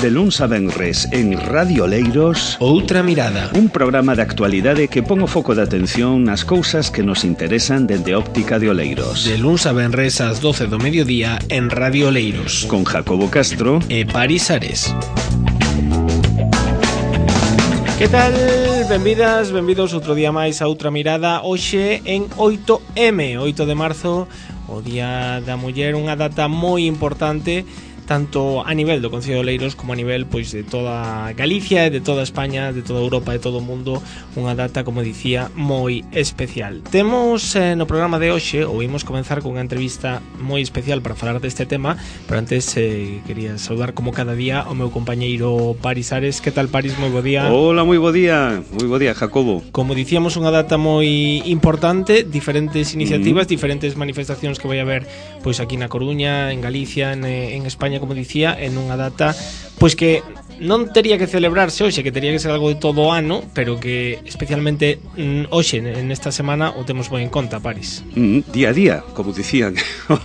De luns a venres en Radio Oleiros, Outra Mirada, un programa de actualidade que pon o foco de atención nas cousas que nos interesan dende óptica de Oleiros. de luns a venres ás 12 do mediodía en Radio Oleiros, Con Jacobo Castro e Paris Ares. Que tal? Benvidas, benvidos outro día máis a Outra Mirada. Hoxe en 8M, 8 de marzo, o Día da Muller, unha data moi importante tanto a nivel do Concello de Oleiros como a nivel pois de toda Galicia e de toda España, de toda Europa e de todo o mundo, unha data, como dicía, moi especial. Temos no programa de hoxe, ou imos comenzar con unha entrevista moi especial para falar deste tema, pero antes quería saudar como cada día o meu compañeiro Paris Ares. Que tal, Paris? Moi bo día. Hola, moi bo día, Jacobo. Como dicíamos, unha data moi importante, diferentes iniciativas, diferentes manifestacións que vai haber pois aquí na Coruña, en Galicia, en España, como dicía, en unha data pois que non tería que celebrarse hoxe, que tería que ser algo de todo o ano, pero que especialmente hoxe, nesta semana, o temos moi en conta, Paris. Día a día, como dicían.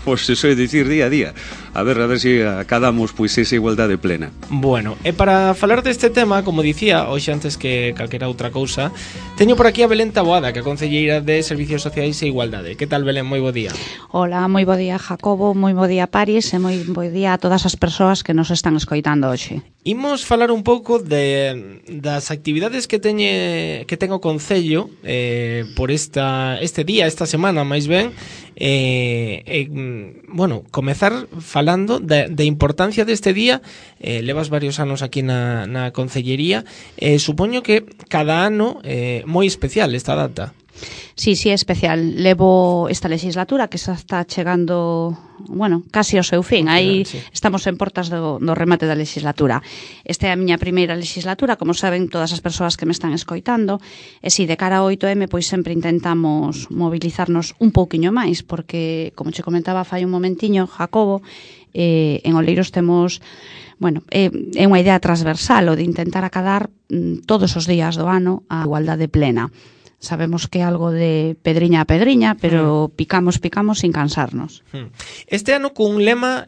Pois eso é dicir día a día. A ver se acadamos pois esa igualdade plena. Bueno, e para falar deste tema, como dicía, hoxe antes que calquera outra cousa, teño por aquí a Belén Taboada, que é a concelleira de Servicios Sociais e Igualdade. Que tal, Belén? Moi bo día. Hola, moi bo día, Jacobo, moi bo día, Paris, e moi bo día a todas as persoas que nos están escoitando hoxe. Imos falar un pouco das actividades que ten o Concello por este día, esta semana, máis ben. Bueno, comezar falando da importancia deste día. Levas varios anos aquí na Concellería. Supoño que cada ano moi especial esta data. Sí, é especial. Levo esta legislatura que xa está chegando, bueno, casi ao seu fin. Aí sí. Estamos en portas do remate da legislatura. Esta é a miña primeira legislatura, como saben todas as persoas que me están escoitando. E si, de cara ao 8M, pois sempre intentamos mobilizarnos un pouquiño máis, porque, como che comentaba fai un momentiño, Jacobo, en Oleiros temos, bueno, é unha idea transversal o de intentar acadar todos os días do ano a igualdade plena. Sabemos que é algo de pedriña a pedriña, pero picamos sin cansarnos. Este ano cun lema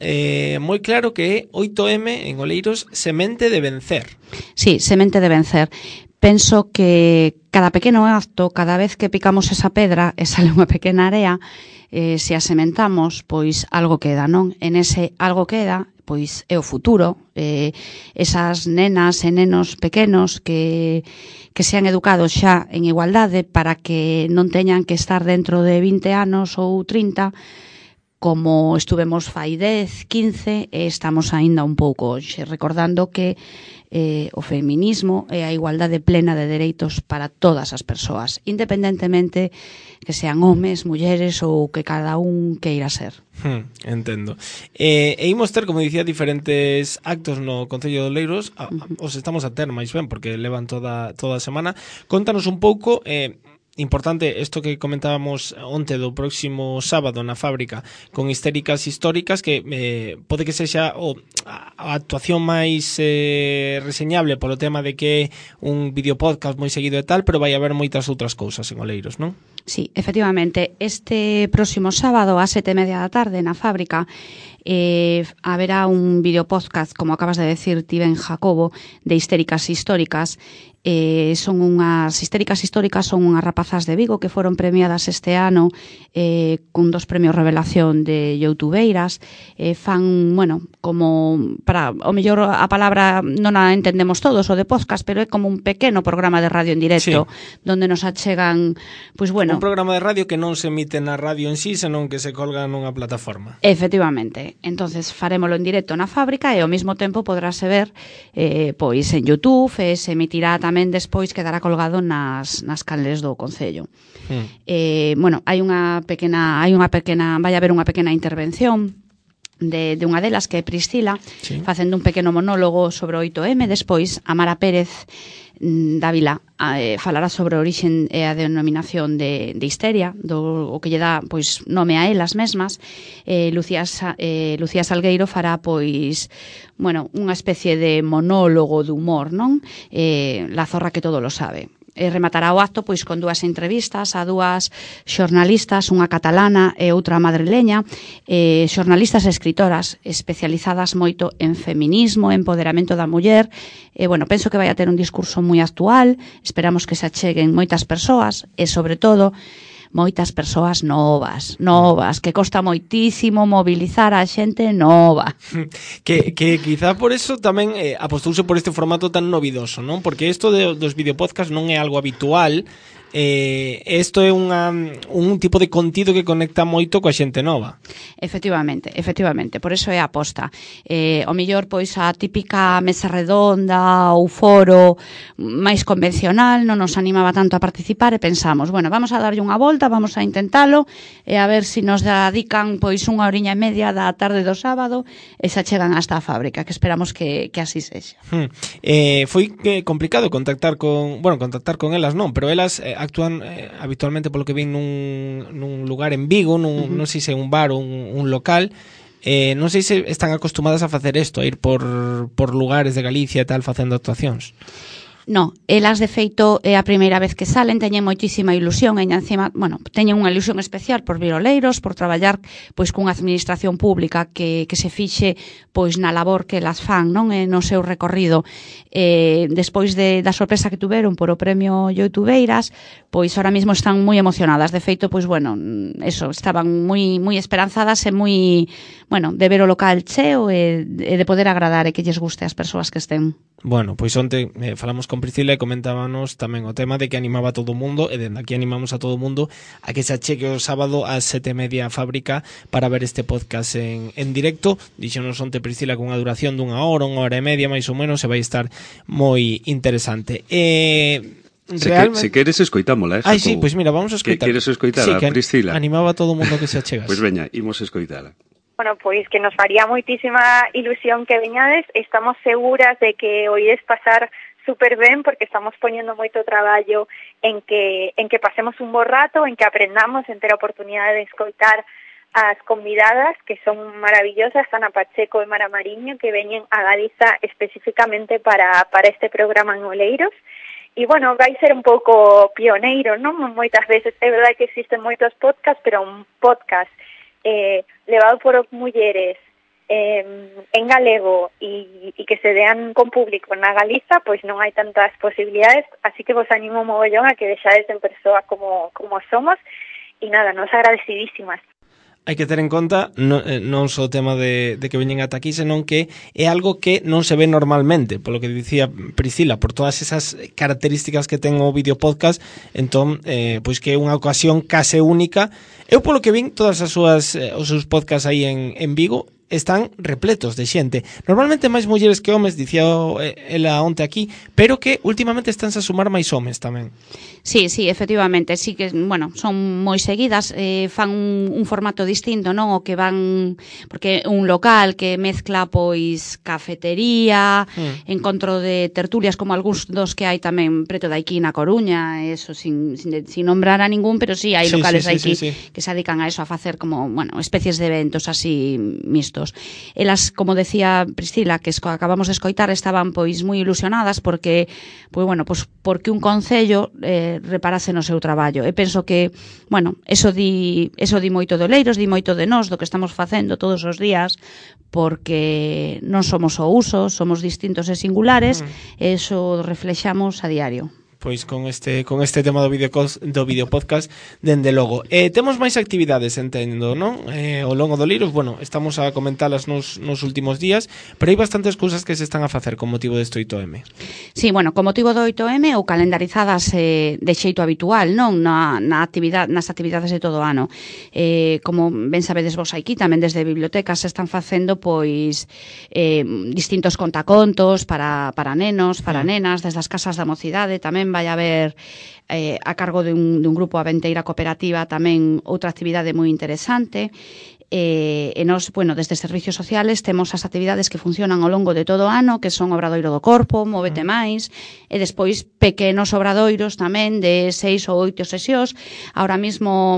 moi claro que é 8M en Oleiros, semente de vencer. Sí, semente de vencer. Penso que cada pequeno acto, cada vez que picamos esa pedra e sale unha pequena area, se a sementamos, pois algo queda, non? En ese algo queda, pois é o futuro, esas nenas e nenos pequenos que sean educados xa en igualdade para que non teñan que estar dentro de 20 anos ou 30 como estuvemos fai 10, 15 e estamos aínda un pouco hoxe, recordando que o feminismo é a igualdade plena de dereitos para todas as persoas, independentemente que sean homes, mulleres ou que cada un queira ser. Entendo. E imos ter, como dicía, diferentes actos no Concello de Oleiros. Os estamos a ter máis ben, porque levan toda a semana. Contanos un pouco, importante isto que comentábamos onte do próximo sábado na fábrica con Histéricas Históricas, que pode que sexa a actuación máis reseñable polo tema de que é un videopodcast moi seguido e tal, pero vai haber moitas outras cousas en Oleiros, non? Sí, efectivamente, este próximo sábado a 7:30 da tarde na fábrica haberá un videopodcast, como acabas de decir ti ben, Jacobo, de Histéricas Históricas. Son unhas Histéricas Históricas, son unhas rapazas de Vigo que foron premiadas este ano cun 2 premios Revelación de youtubeiras. Fan, bueno, como para, o mellor a palabra non a entendemos todos, o de podcast, pero é como un pequeno programa de radio en directo, sí, donde nos achegan, pois bueno, un programa de radio que non se emite na radio en sí, senón que se colga nunha plataforma. Efectivamente. Entonces farémolo en directo na fábrica e ao mesmo tempo podráse ver pois en YouTube, se emitirá tamén despois, quedará colgado nas canles do Concello. Bueno, vai haber unha pequena intervención de unha delas, que é Priscila, sí, facendo un pequeno monólogo sobre o 8M. Despois, Amara Pérez Dávila falará sobre a orixen e a denominación de histeria, o que lle dá pois nome a elas mesmas. Lucía Salgueiro fará pois, bueno, unha especie de monólogo de humor, non? La zorra que todo lo sabe. rematará o acto pois con dúas entrevistas a dúas xornalistas, unha catalana e outra madrileña, xornalistas e escritoras especializadas moito en feminismo, empoderamento da muller. Bueno, penso que vai a ter un discurso moi actual, esperamos que se acheguen moitas persoas e, sobre todo, moitas persoas novas, que costa moitísimo mobilizar a xente nova. Que quizá por eso tamén apostouse por este formato tan novidoso, non? Porque isto dos videopodcast non é algo habitual. Isto é un tipo de contido que conecta moito coa xente nova. Efectivamente, por eso é a aposta. O mellor, pois, a típica mesa redonda ou foro máis convencional non nos animaba tanto a participar e pensamos, bueno, vamos a darlle unha volta, vamos a intentalo e a ver se nos dedican pois unha horiña e media da tarde do sábado e se chegan hasta a fábrica, que esperamos que así sexa. Foi complicado contactar con elas, non, pero elas actúan habitualmente polo que ven nun lugar en Vigo, non sei se é un bar ou un local. Non sei se están acostumadas a facer isto, a ir por lugares de Galicia e tal facendo actuacións. No, elas de feito é a primeira vez que salen, teñen moitísima ilusión e encima, bueno, teñen unha ilusión especial por vir oleiros, por traballar pois cunha administración pública que se fixe pois na labor que elas fan, non, no seu recorrido. Despois da sorpresa que tuveron por o premio Youtubeiras, pois ahora mismo están moi emocionadas. De feito, pois bueno, eso, estaban moi esperanzadas e moi, bueno, de ver o local cheo e de poder agradar e que lles guste as persoas que estén. Bueno, pois onte falamos con Priscila e comentábamos tamén o tema de que animaba a todo o mundo e dende aquí animamos a todo o mundo a que se achegue o sábado ás 7:30 a fábrica para ver este podcast en directo. Dixonos onte Priscila con unha duración dunha hora e media máis ou menos, e vai estar moi interesante. Se queres escoitámola. Sí, pois mira, vamos a escoitar. Queres escoitar a Priscila? Animaba a todo o mundo que se achegase. Pois veña, imos escoitala. Bueno, pois que nos faría moitísima ilusión que veñades. Estamos seguras de que o ides pasar super ben, porque estamos poñendo moito traballo en que pasemos un bo rato, en que aprendamos, en ter a oportunidade de escoitar as convidadas, que son maravillosas, Ana Pacheco e Mara Mariño, que veñen a Galiza especificamente para este programa en Oleiros. E, bueno, vai ser un pouco pioneiro, non? Moitas veces é verdade que existen moitos podcasts, pero un podcast levado por mulleres en galego e que se dean con público na Galiza, pois non hai tantas posibilidades, así que vos animo mogollón a que deixades en persoa como somos, e nada, nos agradecidísimas. Hai que ter en conta non só o tema de que veñen ata aquí, senón que é algo que non se ve normalmente, polo que dicía Priscila, por todas esas características que ten o videopodcast, entón, pois que é unha ocasión case única. Eu polo que vin todas os seus podcasts aí en Vigo están repletos de xente. Normalmente máis mulleres que homes, dicía ela onte aquí, pero que últimamente estánse a sumar máis homes tamén. Sí, efectivamente, sí que, bueno, son moi seguidas, fan un formato distinto, non? O que van, porque un local que mezcla pois cafetería, encontro de tertulias como algúns dos que hai tamén preto de aquí na Coruña, eso sin nombrar a ningún, pero sí hai locales aquí que se dedican a eso, a facer como, bueno, especies de eventos así mixtos. Elas, como decía Priscila, que acabamos de escoitar, estaban pois moi ilusionadas porque, pois bueno, pois porque un concello reparase no seu traballo. E penso que, bueno, eso di moito de Oleiros, di moito de nós, do que estamos facendo todos os días, porque non somos o uso, somos distintos e singulares, e eso reflexamos a diario. Pois con este tema do videopodcast, dende logo. Temos máis actividades, entendo, non? Ao longo do Oleiros, bueno, estamos a comentalas nos últimos días, pero hai bastantes cousas que se están a facer con motivo deste 8M. Sí, bueno, con motivo do 8M ou calendarizadas de xeito habitual, non? Nas actividades de todo o ano. Como ben sabedes vos aquí, tamén desde bibliotecas se están facendo pois distintos contacontos para nenos, para nenas, desde as casas da mocidade tamén vai haber a cargo de un grupo Aventeira Cooperativa tamén outra actividade moi interesante. E nos, bueno, desde Servicios Sociales temos as actividades que funcionan ao longo de todo o ano, que son Obradoiro do Corpo, Móvete Máis, e despois pequenos obradoiros tamén de 6 ou 8 sesións. Ahora mismo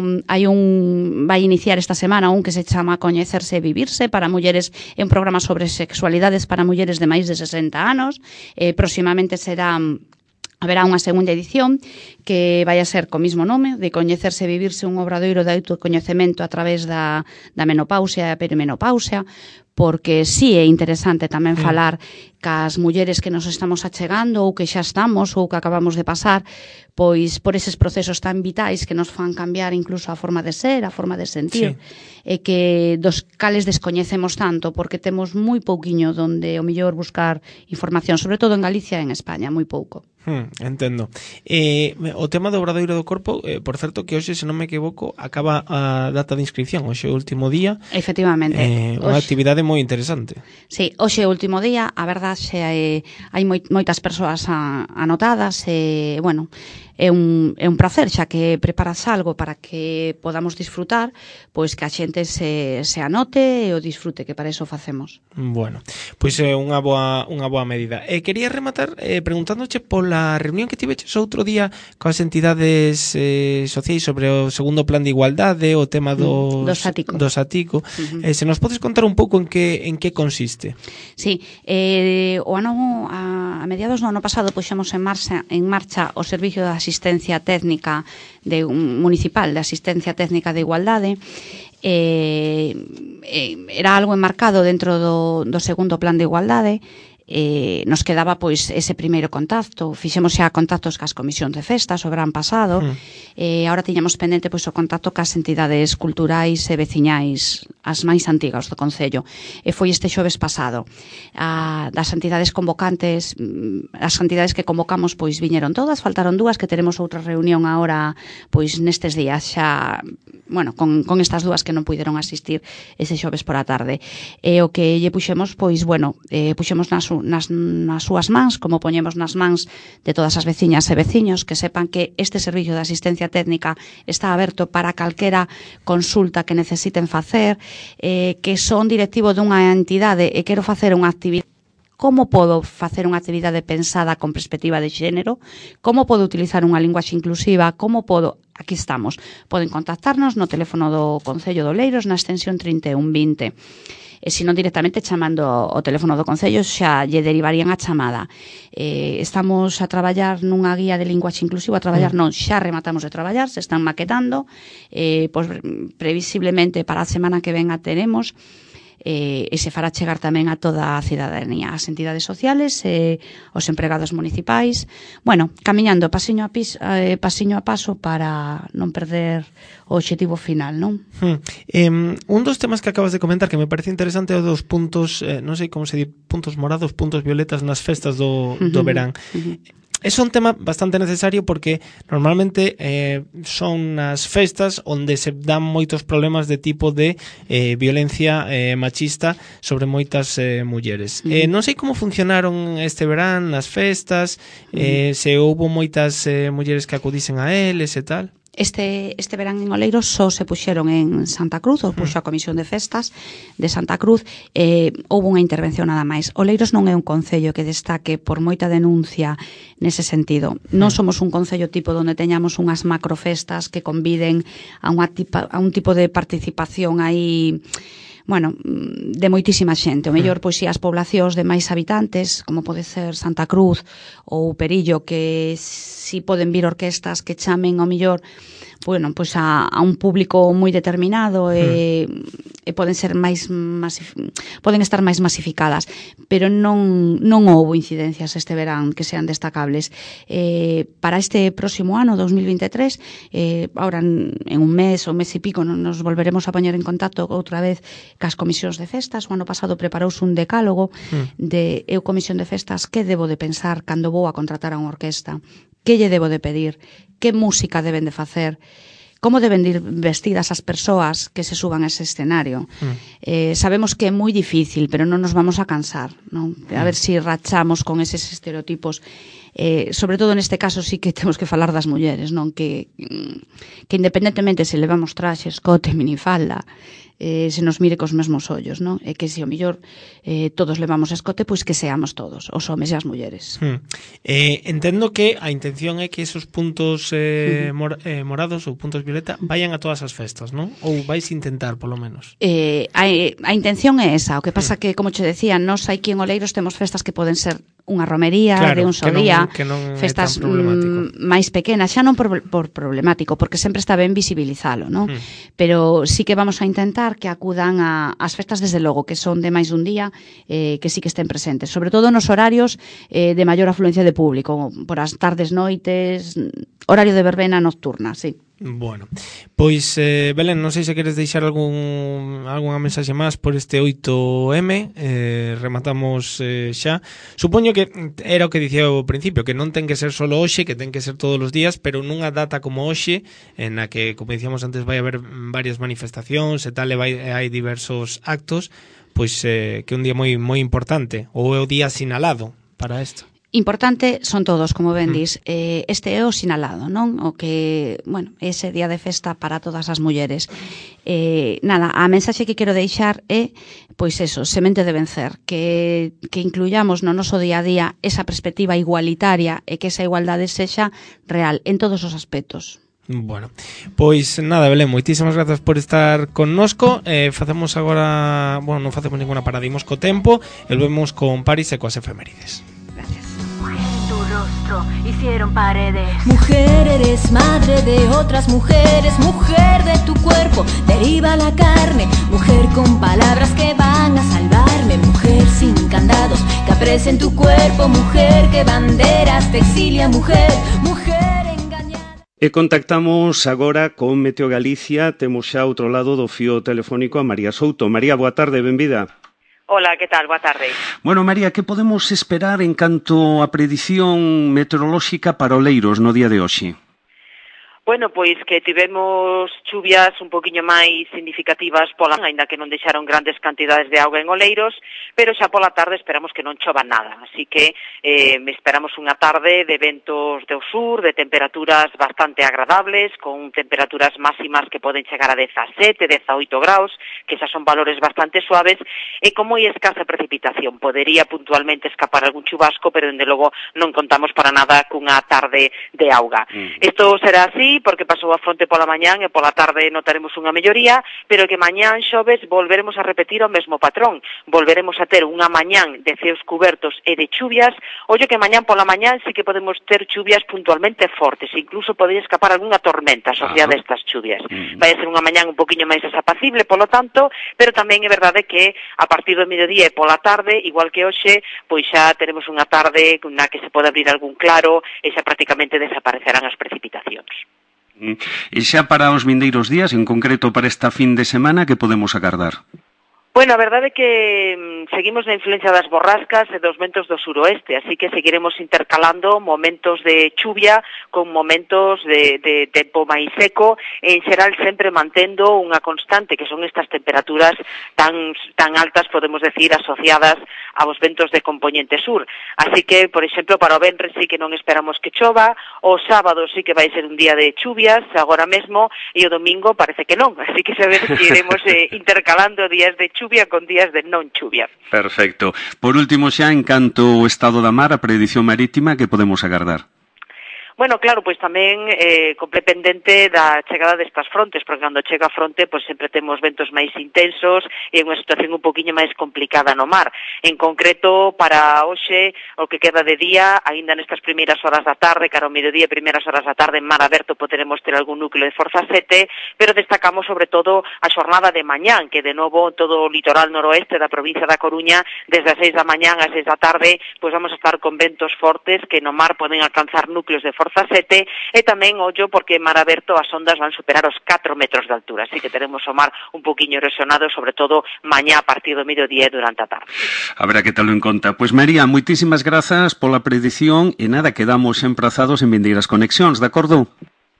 vai iniciar esta semana un que se chama Coñecerse e Vivirse para mulleres, é un programa sobre sexualidades para mulleres de máis de 60 anos. Próximamente será Haberá unha segunda edición que vai a ser co mismo nome, de coñecerse e vivirse un obradoiro de autocoñecemento a través da menopausia e a perimenopausia, porque sí é interesante tamén falar cas mulleres que nos estamos achegando ou que xa estamos ou que acabamos de pasar pois por eses procesos tan vitais que nos fan cambiar incluso a forma de ser, a forma de sentir, e que dos cales descoñecemos tanto porque temos moi pouquiño donde o mellor buscar información, sobre todo en Galicia e en España, moi pouco. Entendo. O tema do obradoiro do corpo, por certo que hoxe, se non me equivoco, acaba a data de inscripción, hoxe é o último día. Efectivamente. Unha actividade moi interesante. Sí, hoxe é o último día, a verdade hai moitas persoas anotadas e, bueno, é un placer, xa que preparas algo para que podamos disfrutar, pois que a xente se anote e o disfrute, que para iso facemos. Bueno, pois é unha boa medida. Quería rematar preguntándoche pola reunión que tiveches outro día coas entidades sociais sobre o segundo plan de igualdade, o tema do Satico. Se nos podes contar un pouco en que consiste? Sí, a mediados do ano pasado puxemos en marcha o servicio de asistencia técnica municipal de asistencia técnica de igualdade. Era algo enmarcado dentro do segundo plan de igualdade. Nos quedaba pois ese primeiro contacto, fixemos xa contactos cas comisións de festas o verán pasado, agora tiñamos pendente pois o contacto cas entidades culturais e veciñais, as máis antigas do Concello, e foi este xoves pasado. Das entidades convocantes, as entidades que convocamos pois viñeron todas, faltaron dúas que teremos outra reunión agora pois nestes días xa, bueno, con estas dúas que non puideron asistir ese xoves por a tarde. E o que lle puxemos pois, bueno, puxemos nas súas mans, como poñemos nas mans de todas as veciñas e veciños, que sepan que este servicio de asistencia técnica está aberto para calquera consulta que necesiten facer, que son directivo dunha entidade e quero facer unha actividade. Como podo facer unha actividade pensada con perspectiva de xénero? Como podo utilizar unha linguaxe inclusiva? Como podo... Aquí estamos. Poden contactarnos no teléfono do Concello de Oleiros na extensión 3120. E se non directamente chamando o teléfono do Concello xa lle derivarían a chamada. Estamos a traballar nunha guía de linguaxe inclusiva, xa rematamos de traballar, se están maquetando, pois previsiblemente para a semana que ven a tenemos, e se fará chegar tamén a toda a cidadanía, as entidades sociales e os empregados municipais, bueno, camiñando pasiño a paso para non perder o obxectivo final, non? Un dos temas que acabas de comentar que me parece interesante é o dos puntos, non sei como se di, puntos morados, puntos violetas nas festas do verán. É un tema bastante necesario porque normalmente son nas festas onde se dan moitos problemas de tipo de violencia machista sobre moitas mulleres. Non sei como funcionaron este verán nas festas, se houbo moitas mulleres que acudisen a eles e tal. Este verán en Oleiros só se puxeron en Santa Cruz, ou puxo a Comisión de Festas de Santa Cruz, houve unha intervención nada máis. Oleiros non é un concello que destaque por moita denuncia nese sentido. Non somos un concello tipo onde teñamos unhas macrofestas que conviden a un tipo de participación aí, bueno, de moitísima xente. O mellor, pois, si as poblacións de máis habitantes, como pode ser Santa Cruz ou Perillo, que si poden vir orquestas que chamen ao mellor, bueno, pois a un público moi determinado e poden ser poden estar máis masificadas, pero non houbo incidencias este verán que sean destacables. Para este próximo ano, 2023, ahora en un mes ou mes e pico nos volveremos a poñer en contacto outra vez cas comisións de festas. O ano pasado preparouse un decálogo de eu comisión de festas que debo de pensar cando vou a contratar a unha orquesta, que lle debo de pedir, que música deben de facer, como deben de ir vestidas as persoas que se suban a ese escenario. Sabemos que é moi difícil, pero non nos vamos a cansar, non? A ver se rachamos con eses estereotipos. Sobre todo neste caso sí que temos que falar das mulleres, non? Que independentemente se levamos traxe, escote, minifalda, se nos mire cos mesmos ollos, non? E que se o mellor todos levamos escote, pois que seamos todos, os homes e as mulleres. Entendo que a intención é que esos puntos morados ou puntos violeta vayan a todas as festas, non? Ou vais intentar, polo menos? A intención é esa, o que pasa que, como che decía, nós aquí en Oleiros temos festas que poden ser unha romería de un só día, festas máis pequenas, xa non por problemático, porque sempre está ben visibilizalo, non? Pero sí que vamos a intentar que acudan ás festas desde logo, que son de máis dun día, que sí que estén presentes, sobre todo nos horarios de maior afluencia de público, por as tardes, noites, horario de verbena nocturna, sí. Bueno, pois Belén, non sei se queres deixar algunha mensaxe máis por este 8M. Rematamos xa. Supoño que era o que dicía ao principio, que non ten que ser solo hoxe, que ten que ser todos os días, pero nunha data como hoxe, en a que, como dicíamos antes, vai haber varias manifestacións e tal, e hai diversos actos, pois que é un día moi moi importante, ou é o día sinalado para isto. Importante son todos, como ben dis. Este é o sinalado, non? O que, bueno, ese día de festa para todas as mulleres. Nada, a mensaxe que quero deixar é, pois eso, semente de vencer, que incluyamos no noso día a día esa perspectiva igualitaria e que esa igualdade sexa real en todos os aspectos. Bueno, pois nada, Belén, moitísimas grazas por estar connosco. Facemos agora, bueno, non facemos ninguna parada, imos co tempo e volvemos con Paris e coas efemérides. Hicieron paredes. Mujer, eres madre de otras mujeres. Mujer, de tu cuerpo deriva la carne. Mujer, con palabras que van a salvarme. Mujer, sin candados que apresen tu cuerpo. Mujer, que banderas te exilia. Mujer, mujer engañada. E contactamos agora con Meteo Galicia. Temos xa outro lado do fío telefónico a María Souto. María, boa tarde, benvida. Hola, que tal? Boa tarde. Bueno, María, que podemos esperar en canto a predición meteorolóxica para Oleiros no día de hoxe? Bueno, pois que tivemos chuvias un poquinho máis significativas pola, aínda que non deixaron grandes cantidades de auga en Oleiros, pero xa pola tarde esperamos que non chova nada, así que esperamos unha tarde de ventos do sur, de temperaturas bastante agradables, con temperaturas máximas que poden chegar a 17, 18 graus, que xa son valores bastante suaves, e con moi escasa precipitación. Podería puntualmente escapar algún chubasco, pero dende logo non contamos para nada cunha tarde de auga. Isto será así, porque pasou a fronte pola mañán e pola tarde notaremos unha melloría, pero que mañán xoves volveremos a repetir o mesmo patrón. Volveremos a ter unha mañán de ceos cubertos e de chuvias. Ollo que mañán pola mañán sí que podemos ter chuvias puntualmente fortes, incluso podría escapar algunha tormenta asociada a estas chuvias. Vai a ser unha mañán un poquinho máis desapacible, polo tanto, pero tamén é verdade que a partir do mediodía e pola tarde, igual que hoxe, pois xa teremos unha tarde na que se pode abrir algún claro e xa prácticamente desaparecerán as precipitacións. E xa para os vindeiros días, en concreto para esta fin de semana, que podemos agardar? Bueno, a verdade é que seguimos na influencia das borrascas e dos ventos do suroeste, así que seguiremos intercalando momentos de chuvia con momentos de tempo máis seco, en xeral sempre mantendo unha constante, que son estas temperaturas tan altas, podemos decir, asociadas aos ventos de compoñente sur. Así que, por exemplo, para o venres sí que non esperamos que chova, o sábado sí que vai ser un día de chuvias, agora mesmo, e o domingo parece que non, así que sabes que iremos intercalando días de chuvia con días de non chuvia. Perfecto. Por último xa, en canto ao estado da mar, a predición marítima, que podemos agardar? Bueno, claro, pois tamén pendente da chegada destas frontes, porque cando chega a fronte, pois sempre temos ventos máis intensos e unha situación un poquinho máis complicada no mar. En concreto, para hoxe, o que queda de día, aínda nestas primeiras horas da tarde, cara ao mediodía e primeiras horas da tarde, en mar aberto poderemos ter algún núcleo de forza 7, pero destacamos sobre todo a xornada de mañán, que de novo todo o litoral noroeste da provincia da Coruña, desde as 6 da mañán ás 6 da tarde, pois vamos a estar con ventos fortes que no mar poden alcanzar núcleos de forza 7, e tamén ollo porque en mar aberto as ondas van superar os 4 metros de altura, así que teremos o mar un poquinho erosionado, sobre todo mañá a partir do mediodía e durante a tarde. Habrá que telo en conta. Pois María, moitísimas grazas pola predición e nada, quedamos emprazados en vindeiras conexións, de acordo?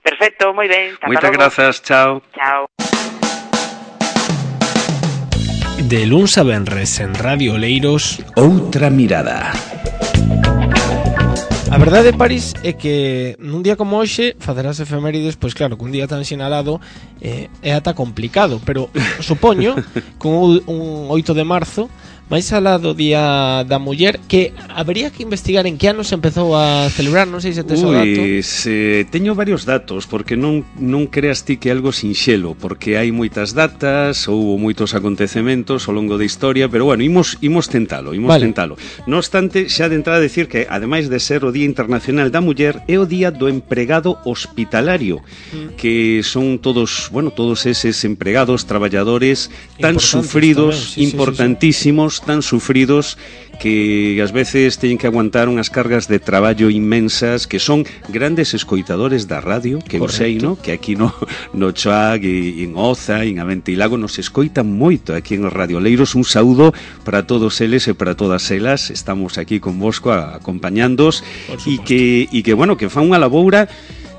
Perfecto, moi ben. Moitas grazas, chao. Chao. De luns a venres en Radio Oleiros, Outra mirada. A verdade, París, é que nun día como hoxe facer as efemérides, pois claro, que un día tan sinalado é ata complicado, pero supoño que un 8 de marzo máis alá do Día da Muller, que habría que investigar en que ano se empezou a celebrar, non sei se tes o dato. Teño varios datos, porque non creas ti que é algo sinxelo, porque hai moitas datas, houve moitos acontecementos ao longo da historia, pero bueno, imos tentalo. Non obstante, xa de entrada decir que, ademais de ser o Día Internacional da Muller, é o Día do Empregado Hospitalario, que son todos eses empregados, traballadores tan sufridos, tamén, importantísimos, tan sufridos, que ás veces teñen que aguantar unhas cargas de traballo inmensas, que son grandes escoitadores da radio, que eu sei, no? Que aquí no Chuac, en Oza, en Aventilago nos escoitan moito aquí en os radioleiros. Un saúdo para todos eles e para todas elas. Estamos aquí convosco acompañándoos e que fan unha laboura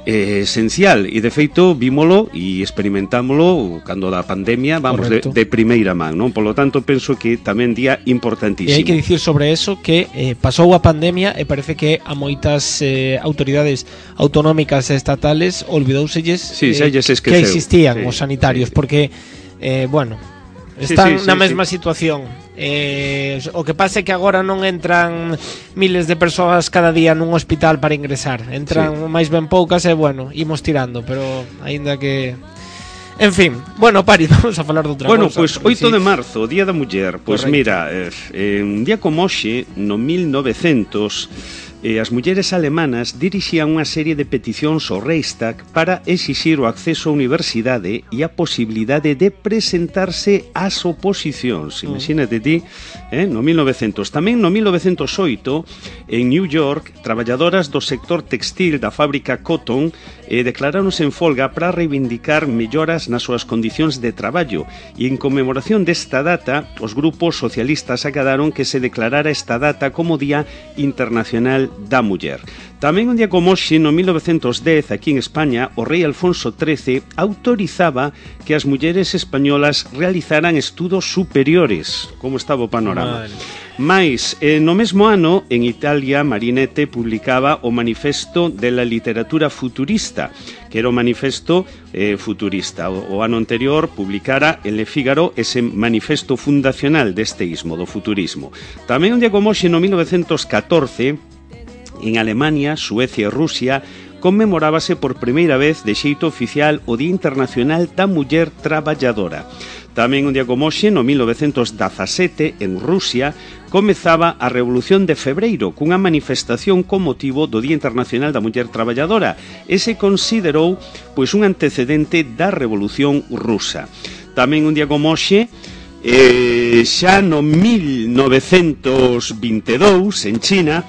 esencial, e de feito vímolo e experimentámolo cando da pandemia, de primeira man, non? Polo tanto, penso que tamén día importantísimo. E hai que dicir sobre eso que pasou a pandemia e parece que a moitas autoridades autonómicas e estatales olvidouselles que existían os sanitarios, porque están na mesma situación. O que pasa é que agora non entran miles de persoas cada día nun hospital para ingresar. Entran máis ben poucas e, imos tirando, pero aínda que... En fin, Pari, vamos a falar de outra cousa. Pois 8 de marzo, Día da Muller. Pois mira, un día como hoxe, no 1900... as mulleres alemanas dirixían unha serie de peticións ao Reichstag para exixir o acceso á universidade e a posibilidade de presentarse ás oposicións. Imagínate ti, no 1900. Tamén no 1908, en New York, traballadoras do sector textil da fábrica Cotton declaráronse en folga para reivindicar melloras nas súas condicións de traballo, e en conmemoración desta data, os grupos socialistas acadaron que se declarara esta data como Día Internacional da Muller. Tamén un día como hoxe, no 1910, aquí en España, o rei Alfonso XIII autorizaba que as mulleres españolas realizaran estudos superiores. Como estaba o panorama? Mais, no mesmo ano, en Italia, Marinetti publicaba o Manifesto de la Literatura Futurista, que era o manifesto futurista. O ano anterior publicara en Le Figaro ese manifesto fundacional deste ismo, do futurismo. Tamén un día como hoxe, no 1914, en Alemania, Suecia e Rusia, conmemorábase por primeira vez de xeito oficial o Día Internacional da Muller Traballadora. Tamén un día como hoxe, no 1917, en Rusia, comezaba a Revolución de Febreiro, cunha manifestación con motivo do Día Internacional da Muller Traballadora, e se considerou un antecedente da Revolución Rusa. Tamén un día como hoxe, xa no 1922, en China,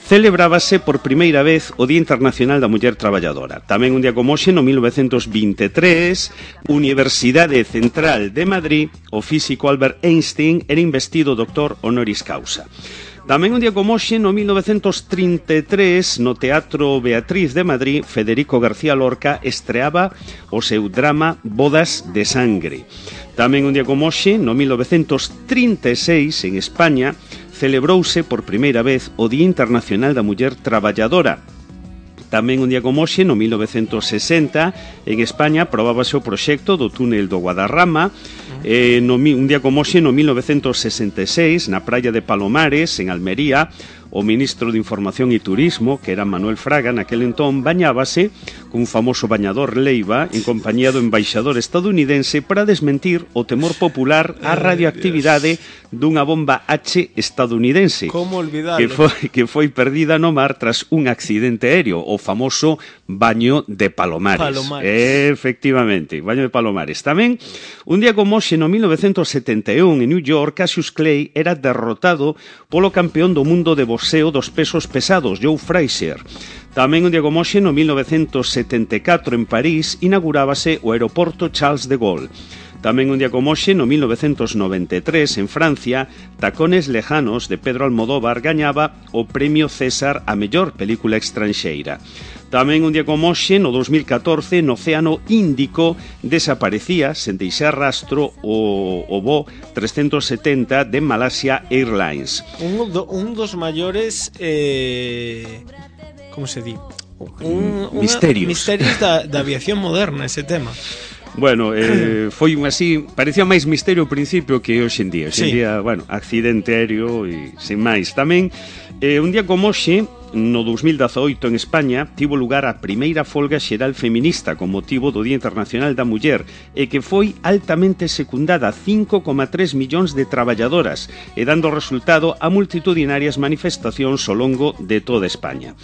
celebrábase por primeira vez o Día Internacional da Muller Traballadora. Tamén un día como hoxe, no 1923, Universidade Central de Madrid, o físico Albert Einstein era investido doctor honoris causa. Tamén un día como hoxe, no 1933, no Teatro Beatriz de Madrid, Federico García Lorca estreaba o seu drama Bodas de Sangre. Tamén un día como hoxe, no 1936, en España, celebrouse por primeira vez o Día Internacional da Muller Traballadora. Tamén un día como hoxe, no 1960, en España aprobábase o proxecto do túnel do Guadarrama. Un día como hoxe, no 1966, na praia de Palomares, en Almería, o ministro de Información e Turismo, que era Manuel Fraga, naquel entón, bañábase cun famoso bañador Leiva en compañía do embaixador estadounidense para desmentir o temor popular á radioactividade dunha bomba H estadounidense. Como olvidarlo? Que foi perdida no mar tras un accidente aéreo, o famoso baño de Palomares. Efectivamente, baño de Palomares. Tamén, un día como hoxe, no 1971, en New York, Cassius Clay era derrotado polo campeón do mundo de boxeo dos pesos pesados, Joe Frazier. Tamén un día como hoxe, no 1974, en París, inaugurábase o aeroporto Charles de Gaulle. Tamén un día como hoxe, no 1993, en Francia, Tacones Lejanos, de Pedro Almodóvar, gañaba o Premio César a mellor película estranxeira. Tamén un día como hoxe, no 2014, no Océano Índico, desaparecía, sen deixar rastro, o voo 370 de Malaysia Airlines. Un dos maiores... como se di? Misterios da aviación moderna, ese tema. Bueno, foi así, parecía máis misterio ao principio que hoxe en día. Hoxe en día, bueno, accidente aéreo e sin máis. Tamén, un día como hoxe, no 2018 en España, tivo lugar a primeira folga xeral feminista con motivo do Día Internacional da Muller e que foi altamente secundada, 5,3 millóns de traballadoras e dando resultado a multitudinarias manifestacións ao longo de toda España.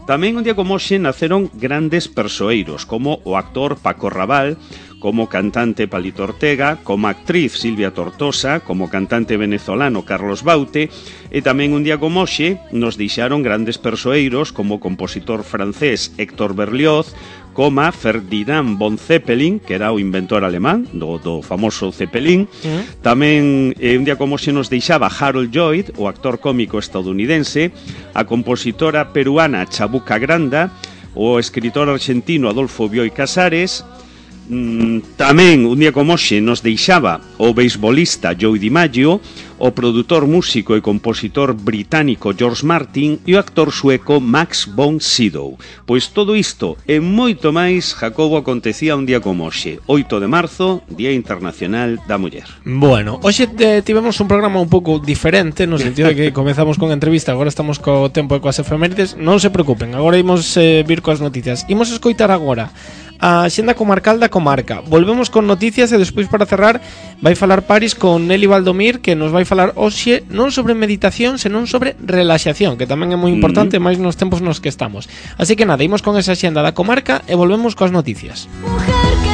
Tamén un día como hoxe naceron grandes persoeiros como o actor Paco Raval, como cantante Palito Ortega, como actriz Silvia Tortosa, como cantante venezolano Carlos Baute, e tamén un día como hoxe nos deixaron grandes persoeiros como o compositor francés Héctor Berlioz, como Ferdinand von Zeppelin, que era o inventor alemán do famoso Zeppelin. Tamén un día como hoxe nos deixaba Harold Lloyd, o actor cómico estadounidense, a compositora peruana Chabuca Granda, o escritor argentino Adolfo Bioy Casares. Tamén un día como hoxe nos deixaba o beisbolista Joe DiMaggio, o produtor, músico e compositor británico George Martin e o actor sueco Max von Sydow. Pois todo isto e moito máis, Jacobo, acontecía un día como hoxe, 8 de marzo, Día Internacional da Muller. Bueno, hoxe tivemos un programa un pouco diferente, no sentido de que comezamos con entrevista, agora estamos co tempo e coas efemérides. Non se preocupen, agora imos vir coas noticias. Imos escoitar agora a Xenda Comarcal da Comarca. Volvemos con noticias e despois, para cerrar, vai falar Paris con Nelly Valdomir, que nos vai falar hoxe non sobre meditación, senón sobre relaxación, que tamén é moi importante, máis nos tempos nos que estamos. Así que nada, imos con esa Xenda da Comarca e volvemos coas noticias. Mujer que